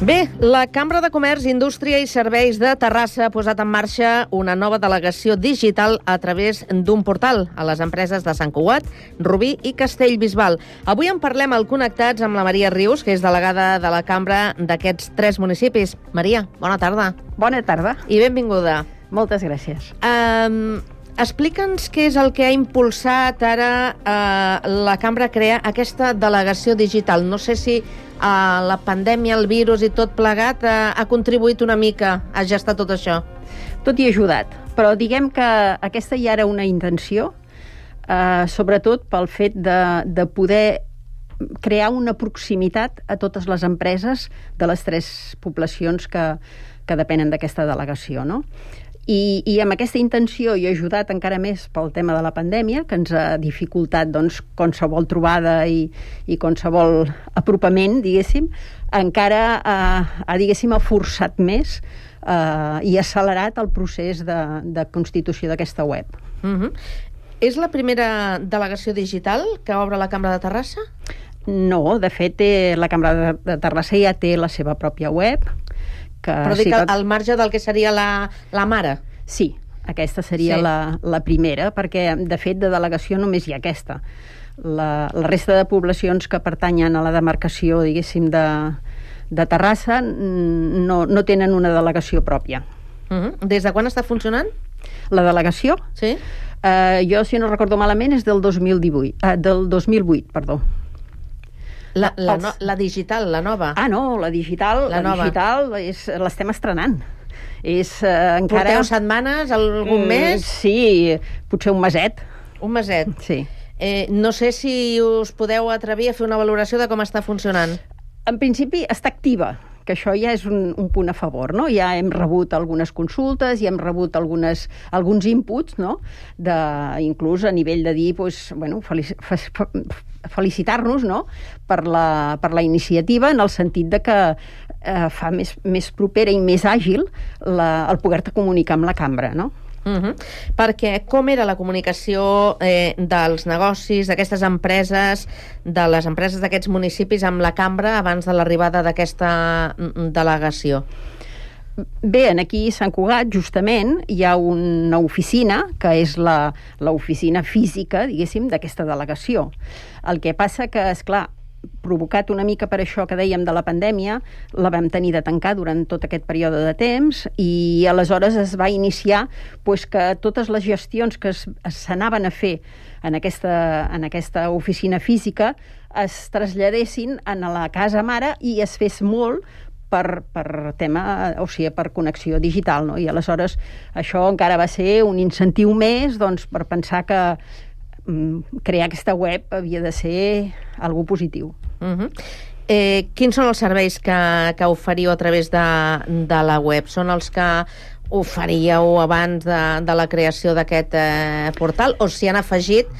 Bé, la Cambra de Comerç, Indústria i Serveis de Terrassa ha posat en marxa una nova delegació digital a través d'un portal a les empreses de Sant Cugat, Rubí i Castellbisbal. Avui en parlem al Connectats amb la Maria Rius, que és delegada de la Cambra d'aquests 3 municipis. Maria, bona tarda. Bona tarda. I benvinguda. Moltes gràcies. Explica'ns què és el que ha impulsat ara la Cambra a crear aquesta delegació digital. No sé si la pandèmia, el virus i tot plegat ha contribuït una mica a gestar tot això. Tot hi ha ajudat, però diguem que aquesta ja era una intenció, sobretot pel fet de poder crear una proximitat a totes les empreses de les 3 poblacions que depenen d'aquesta delegació, no? I amb aquesta intenció i ajudat encara més pel tema de la pandèmia, que ens ha dificultat doncs, qualsevol trobada i qualsevol apropament, diguéssim, encara ha forçat més i accelerat el procés de constitució d'aquesta web. És la primera delegació digital que obre la Cambra de Terrassa? No, de fet, la Cambra de Terrassa ja té la seva pròpia web. Però dic al marge del que seria la mare. Sí, aquesta seria la primera, perquè, de fet, de delegació només hi ha aquesta. La resta de poblacions que pertanyen a la demarcació, diguéssim, de Terrassa no tenen una delegació pròpia. Des de quan està funcionant? La delegació? Sí. Jo, si no recordo malament, és del 2008, perdó. La digital, la nova. Ah, no, la digital l'estem estrenant. Porteu setmanes, algun mes? Sí, potser un meset. Un meset? Sí. No sé si us podeu atrevir a fer una valoració de com està funcionant. En principi està activa, que això ja és un punt a favor, no? Ja hem rebut algunes consultes, ja hem rebut alguns inputs, no? Inclús a nivell de dir, felicitar-nos, no? per la iniciativa, en el sentit de que fa més propera i més àgil el poder-te comunicar amb la cambra, no? Perquè com era la comunicació dels negocis, d'aquestes empreses, de les empreses d'aquests municipis amb la cambra abans de l'arribada d'aquesta delegació? Bé, aquí a Sant Cugat, justament, hi ha una oficina, que és l'oficina física, diguéssim, d'aquesta delegació. El que passa que, esclar, provocat una mica per això que dèiem de la pandèmia, la vam tenir de tancar durant tot aquest període de temps i aleshores es va iniciar que totes les gestions que s'anaven a fer en aquesta oficina física es traslladessin a la casa mare i es fes molt per connexió digital, no? I aleshores això encara va ser un incentiu més per pensar que crear aquesta web havia de ser algo positiu. Quins són els serveis que oferiu a través de la web? Són els que oferíeu abans de la creació d'aquest portal o s'hi han afegit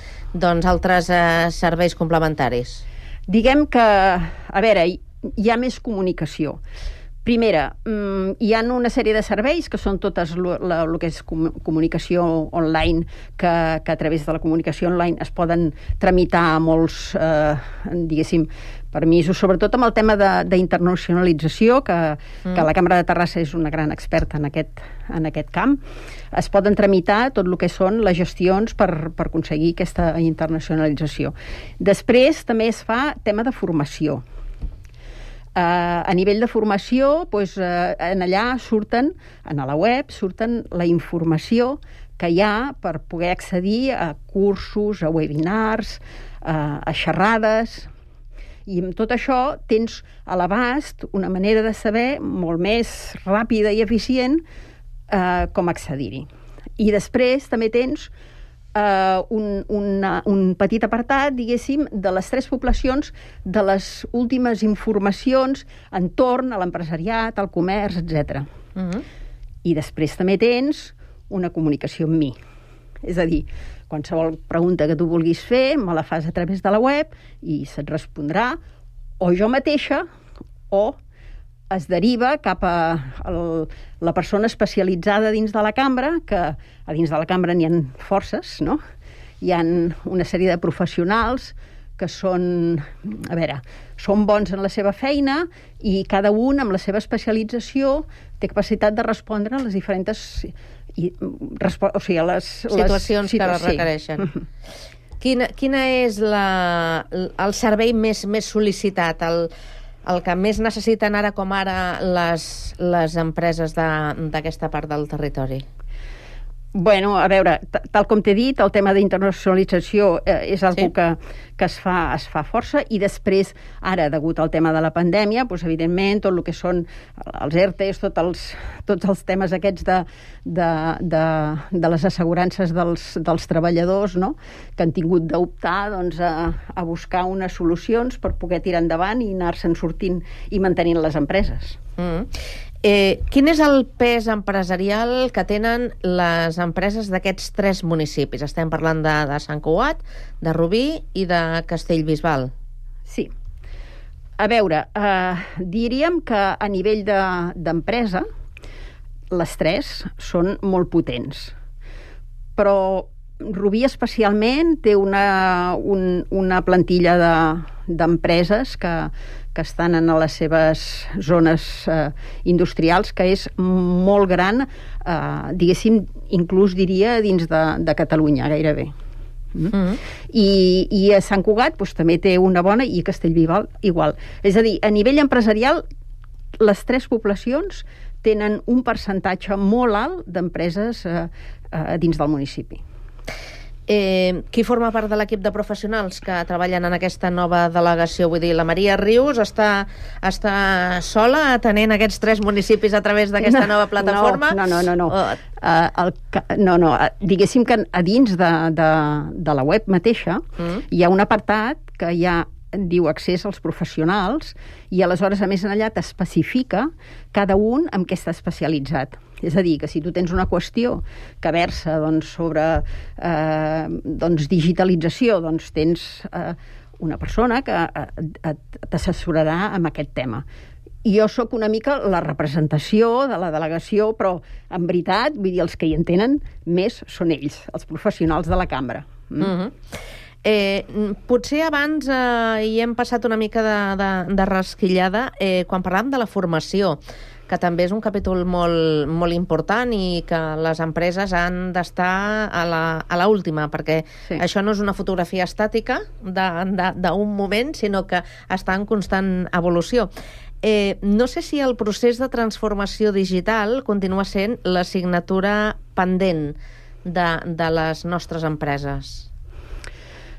altres serveis complementaris? Diguem que, a veure, hi ha més comunicació. Primera, hi ha una sèrie de serveis que són totes el que és comunicació online, que a través de la comunicació online es poden tramitar molts, diguéssim, permisos, sobretot amb el tema d'internacionalització, que la Cambra de Terrassa és una gran experta en aquest camp. Es poden tramitar tot el que són les gestions per aconseguir aquesta internacionalització. Després també es fa tema de formació. A nivell de formació, en allà a la web surten la informació que hi ha per poder accedir a cursos, a webinars, a xerrades, i amb tot això tens a l'abast una manera de saber molt més ràpida i eficient com accedir-hi. I després també tens un petit apartat, diguéssim, de les 3 poblacions, de les últimes informacions entorn a l'empresariat, al comerç, etc. I després també tens una comunicació amb mi. És a dir, qualsevol pregunta que tu vulguis fer, me la fas a través de la web i se't respondrà, o jo mateixa o es deriva cap a la persona especialitzada dins de la cambra, que a dins de la cambra n'hi ha forces, no? Hi ha una sèrie de professionals que són bons en la seva feina i cada un, amb la seva especialització, té capacitat de respondre a les diferents situacions que requereixen. Quina és el servei més sol·licitat, el que més necessiten ara com ara les empreses d'aquesta part del territori? Bueno, a veure, tal com t'he dit, el tema d'internacionalització és una cosa que es fa força, i després, ara, degut al tema de la pandèmia, doncs, evidentment, tot el que són els ERTEs, tots els temes aquests de les assegurances dels treballadors, no?, que han tingut d'optar doncs, a buscar unes solucions per poder tirar endavant i anar-se'n sortint i mantenint les empreses. Quin és el pes empresarial que tenen les empreses d'aquests 3 municipis? Estem parlant de Sant Cugat, de Rubí i de Castellbisbal. Sí. A veure, diríem que a nivell d'empresa les 3 són molt potents. Però Rubí especialment té una plantilla d'empreses que estan en les seves zones industrials, que és molt gran, diguéssim, inclús diria dins de Catalunya, gairebé. I a Sant Cugat doncs, també té una bona, i a Castellbisbal igual. És a dir, a nivell empresarial, les 3 poblacions tenen un percentatge molt alt d'empreses dins del municipi. Qui forma part de l'equip de professionals que treballen en aquesta nova delegació? Vull dir, la Maria Rius està sola atenent aquests 3 municipis a través d'aquesta nova plataforma? No. Diguéssim que a dins de la web mateixa hi ha un apartat que diu accés als professionals, i aleshores, a més, allà t'especifica cada un en què està especialitzat. És a dir, que si tu tens una qüestió que versa sobre digitalització, doncs tens una persona que t'assessorarà amb aquest tema. I jo sóc una mica la representació de la delegació, però en veritat, vull dir, els que hi entenen més són ells, els professionals de la cambra. Potser abans hi hem passat una mica de rasquillada quan parlàvem de la formació, que també és un capítol molt important i que les empreses han d'estar a l'última, perquè això no és una fotografia estàtica d'un moment, sinó que està en constant evolució. No sé si el procés de transformació digital continua sent l'assignatura pendent de les nostres empreses.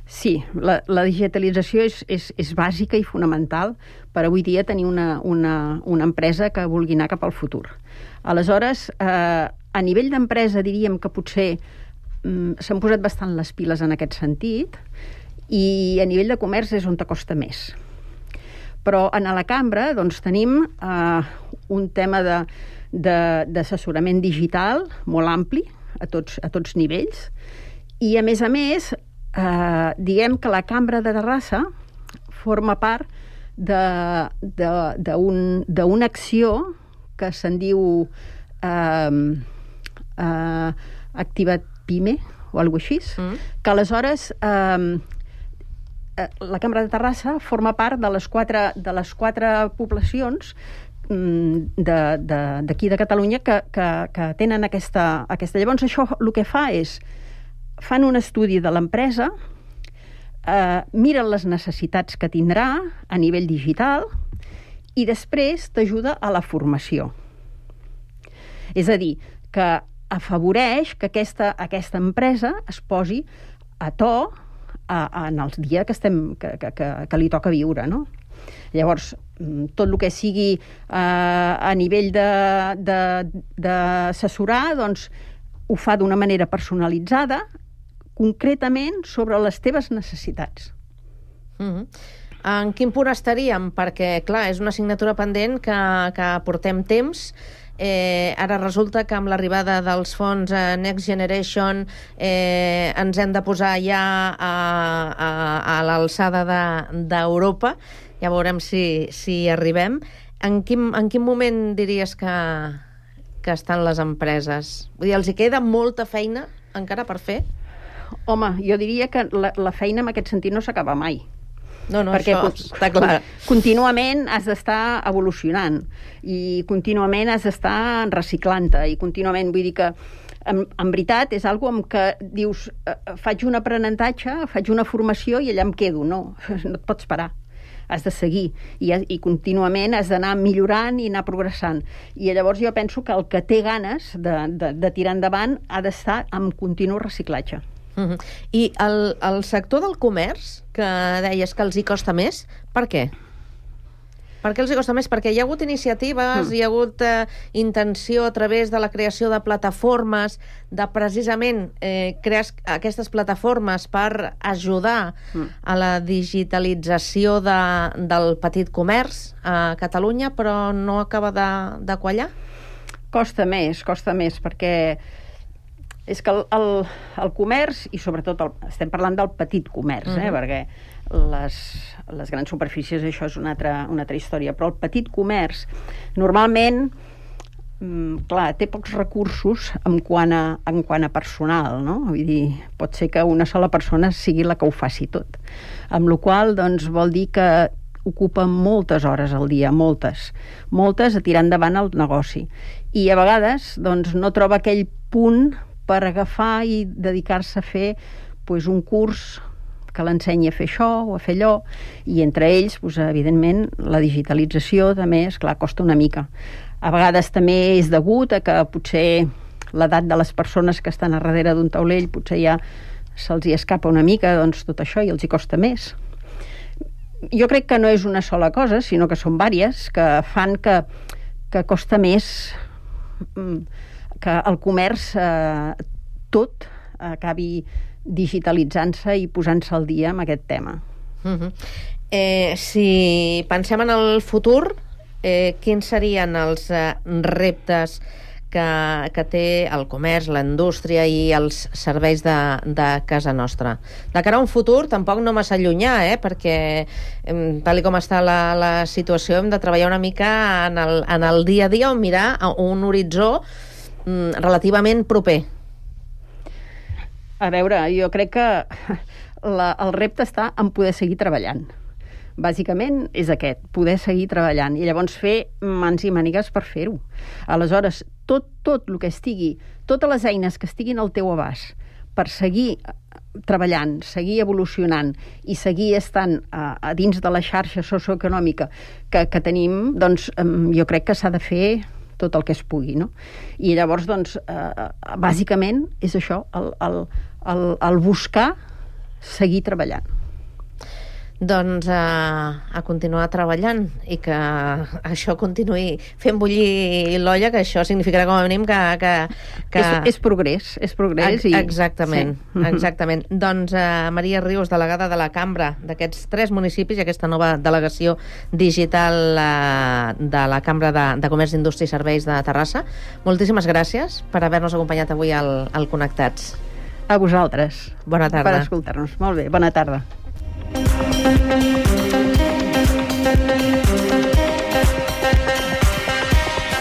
Sí, la digitalització és bàsica i fonamental per avui dia tenir una empresa que vulgui anar cap al futur. Aleshores, a nivell d'empresa diríem que potser s'han posat bastant les piles en aquest sentit, i a nivell de comerç és on t'acosta més. Però a la cambra doncs, tenim un tema d'assessorament digital molt ampli a tots nivells, i a més, diguem que la Cambra de Terrassa forma part d'una acció que se'n diu Activa't Pime o alguna cosa així, que aleshores la Cambra de Terrassa forma part de les quatre poblacions d'aquí de Catalunya que tenen aquesta. Llavors això el que fa és fan un estudi de l'empresa, miren les necessitats que tindrà a nivell digital i després t'ajuda a la formació. És a dir, que afavoreix que aquesta empresa es posi a to en el dia que li toca viure, no? Llavors, tot el que sigui a nivell d'assessorar, doncs ho fa d'una manera personalitzada, concretament sobre les teves necessitats. En quin punt estaríem? Perquè, clar, és una assignatura pendent que portem temps Ara resulta que amb l'arribada dels fons Next Generation ens hem de posar ja a l'alçada d'Europa. Ja veurem si arribem. En quin moment diries que estan les empreses? Vull dir, els hi queda molta feina encara per fer? Home, jo diria que la feina en aquest sentit no s'acaba mai. No, perquè això està clar. Contínuament has d'estar evolucionant i contínuament has d'estar reciclant-te i contínuament, vull dir que en veritat és algo amb què dius faig un aprenentatge, faig una formació i allà em quedo. No et pots parar. Has de seguir i contínuament has d'anar millorant i anar progressant. I llavors jo penso que el que té ganes de tirar endavant ha d'estar en continu reciclatge. I el sector del comerç, que deies que els hi costa més, per què? Per què els hi costa més? Perquè hi ha hagut iniciatives, hi ha hagut intenció a través de la creació de plataformes, de precisament crear aquestes plataformes per ajudar a la digitalització del petit comerç a Catalunya, però no acaba de quallar? Costa més, perquè és que el comerç, i sobretot estem parlant del petit comerç, perquè les grans superfícies això és una altra història, però el petit comerç normalment clar, té pocs recursos en quant a personal, no? Vull dir, pot ser que una sola persona sigui la que ho faci tot, amb la qual cosa doncs, vol dir que ocupa moltes hores al dia, moltes a tirar endavant el negoci, i a vegades doncs, no troba aquell punt per agafar i dedicar-se a fer un curs que l'ensenyi a fer això o a fer allò, i entre ells, evidentment, la digitalització també, esclar, costa una mica. A vegades també és degut a que potser l'edat de les persones que estan a darrere d'un taulell potser ja se'ls hi escapa una mica, doncs tot això, i els hi costa més. Jo crec que no és una sola cosa, sinó que són vàries, que fan que costa més que el comerç tot acabi digitalitzant-se i posant-se al dia amb aquest tema. Si pensem en el futur, quins serien els reptes que té el comerç, la indústria i els serveis de casa nostra? De cara a un futur, tampoc no massa llunyà, perquè tal com està la situació hem de treballar una mica en el dia a dia o mirar un horitzó relativament proper. A veure, jo crec que el repte està en poder seguir treballant. Bàsicament és aquest, poder seguir treballant i llavors fer mans i mànigues per fer-ho. Aleshores, tot el que estigui, totes les eines que estiguin al teu abast per seguir treballant, seguir evolucionant i seguir estant a dins de la xarxa socioeconòmica que tenim, doncs jo crec que s'ha de fer tot el que es pugui, no? I llavors, doncs, bàsicament és això, el buscar seguir treballant. Doncs a continuar treballant i que això continuï fent bullir l'olla, que això significarà com a mínim que... És progrés. Exactament, sí. Exactament. Doncs Maria Rius, delegada de la Cambra d'aquests 3 municipis i aquesta nova delegació digital de la Cambra de Comerç, Indústria i Serveis de Terrassa, moltíssimes gràcies per haver-nos acompanyat avui al Connectats. A vosaltres. Bona tarda. Per escoltar-nos. Molt bé, bona tarda.